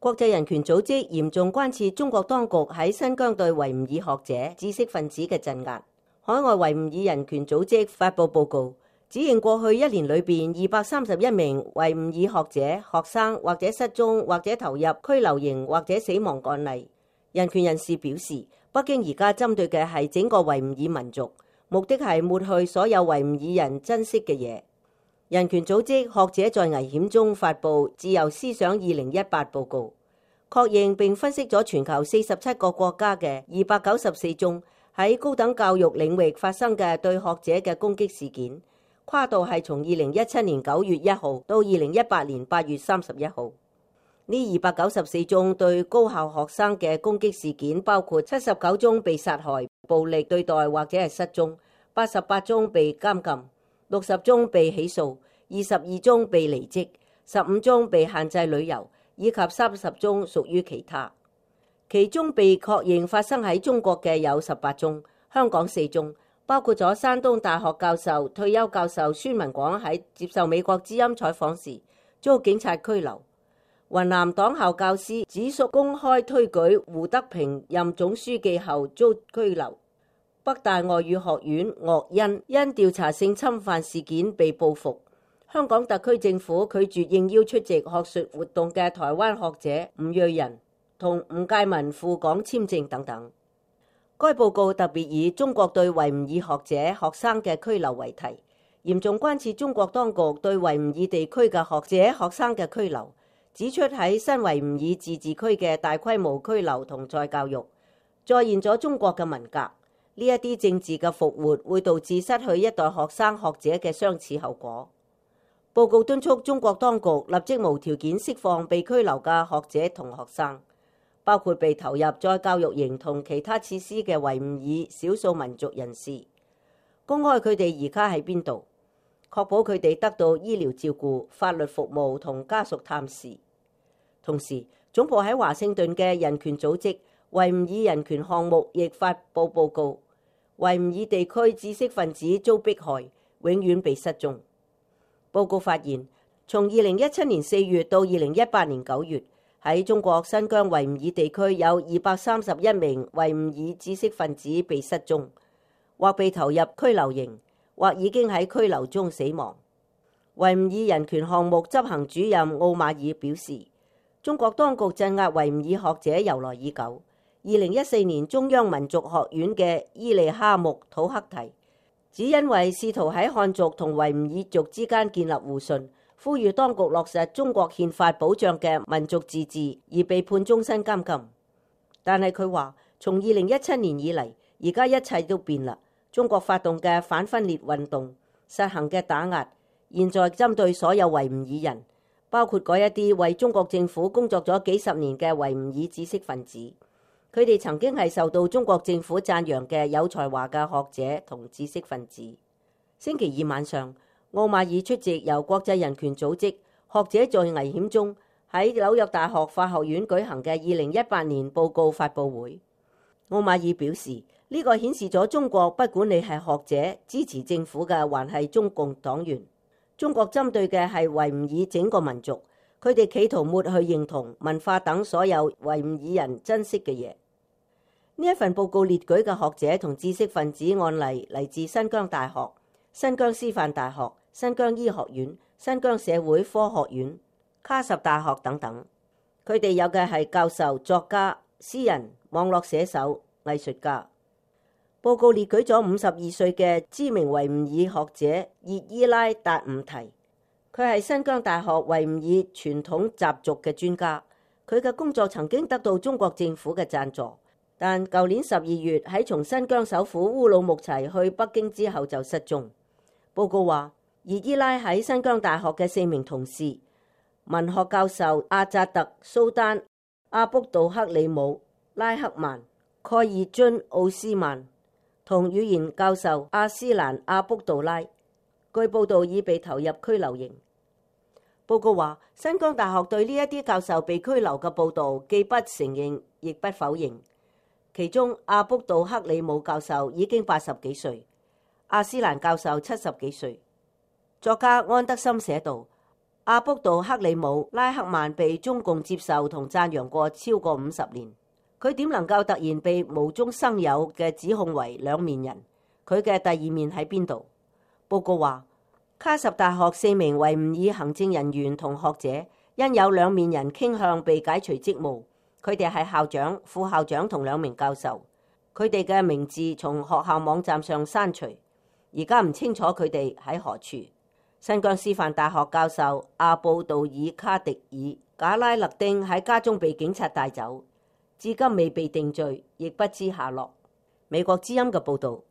國際人權組織嚴重關切中國當局喺新疆對維吾爾學者、知識分子嘅鎮壓。海外維吾爾人權組織發布報告，指認過去一年裏邊231名維吾爾學者、學生或者失蹤或者投入拘留營或者死亡案例。人權人士表示，北京而家針對嘅係整個維吾爾民族，目的係抹去所有維吾爾人珍惜嘅嘢。人權組織學者在危險中發布自由思想2018報告，確認並分析咗全球47個國家嘅294宗喺高等教育領域發生嘅對學者嘅攻擊事件，跨度係從2017年9月1號到2018年8月31號。呢294宗對高校學生嘅攻擊事件，包括79宗被殺害、暴力對待或者係失蹤，88宗被監禁，60宗被起訴，22宗被離職，15宗被限制旅遊，以及30宗屬於其他。其中被確認發生喺中國嘅有18宗，香港4宗，包括咗山東大學教授、退休教授孫文廣喺接受美國之音採訪時遭警察拘留。雲南黨校教師子淑公開推舉胡德平任總書記後遭拘留。北大外語學院岳恩因調查性侵犯事件被報復。香港特區政府拒絕應邀出席學術活動嘅台灣學者吳瑞仁同吳介民赴港簽證等等。該報告特別以中國對維吾爾學者、學生嘅拘留為題，嚴重關切中國當局對維吾爾地區嘅學者、學生嘅拘留，指出喺新維吾爾自治區嘅大規模拘留同再教育，再現咗中國嘅文革。呢一啲政治嘅復活會導致失去一代學生學者嘅相似後果。報告敦促中國當局立即無條件釋放被拘留嘅學者同學生，包括被投入再教育營同其他設施嘅維吾爾少數民族人士，公開佢哋而家喺邊度，確保佢哋得到醫療照顧、法律服務同家屬探視。同時，總部喺華盛頓嘅人權組織維吾爾人權項目亦發布報告，維吾爾地區知識分子遭迫害，永遠被失蹤。報告發現，從2017年4月到2018年9月，喺中國新疆維吾爾地區有231名維吾爾知識分子被失蹤，或被投入拘留營，或已經喺拘留中死亡。維吾爾人權項目執行主任奧馬爾表示，中國當局鎮壓維吾爾學者由來已久。2014年中央民族學院嘅伊利哈木土克提，只因為試圖喺漢族同維吾爾族之間建立互信，呼籲當局落實中國憲法保障嘅民族自治，而被判終身監禁。但係佢話，從2017年以嚟，而家一切都變啦。中國發動嘅反分裂運動，實行嘅打壓，現在針對所有維吾爾人，包括嗰一啲為中國政府工作咗幾十年嘅維吾爾知識分子。佢哋曾經係受到中國政府讚揚嘅有才華嘅學者同知識分子。星期二晚上，奧馬爾出席由國際人權組織學者在危險中喺紐約大學法學院舉行嘅2018年報告發佈會。奧馬爾表示，呢個顯示咗中國不管你係學者、支持政府嘅，還係中共黨員，中國針對嘅係維吾爾整個民族，佢哋企圖抹去認同、文化等所有維吾爾人珍惜嘅嘢。呢一份報告列舉嘅學者同知識分子案例嚟自新疆大學、新疆師範大學、新疆醫學院、新疆社會科學院、喀什大學等等。佢哋有嘅係教授、作家、詩人、網絡寫手、藝術家。報告列舉咗52歲嘅知名維吾爾學者熱依拉達吾提，佢係新疆大學維吾爾傳統習俗嘅專家。佢嘅工作曾經得到中國政府嘅贊助。但舊年12月喺從新疆首府烏魯木齊去北京之後就失蹤。報告話，熱依拉喺新疆大學嘅4名同事，文學教授阿扎特、蘇丹、阿卜杜克里姆、拉克曼、蓋爾津奧斯曼同語言教授阿斯蘭阿卜杜拉，據報道已被投入拘留營。報告話，新疆大學對呢一啲教授被拘留嘅報導既不承認亦不否認。其中阿卜杜克里姆教授已經80幾歲，阿斯蘭教授70幾歲。作家安德森寫道，阿卜杜克里姆拉克曼被中共接受同讚揚過超過50年，佢點能夠突然被無中生有嘅指控為兩面人？佢嘅第二面喺邊度？報告話，卡什大學4名維吾爾行政人員同學者因有兩面人傾向被解除職務，佢哋係校長、副校長同2名教授，佢哋嘅名字從學校網站上刪除，而家唔清楚佢哋喺何處。新疆師範大學教授阿布杜爾卡迪爾賈拉勒丁喺家中被警察帶走，至今未被定罪，亦不知下落。美國之音嘅報導。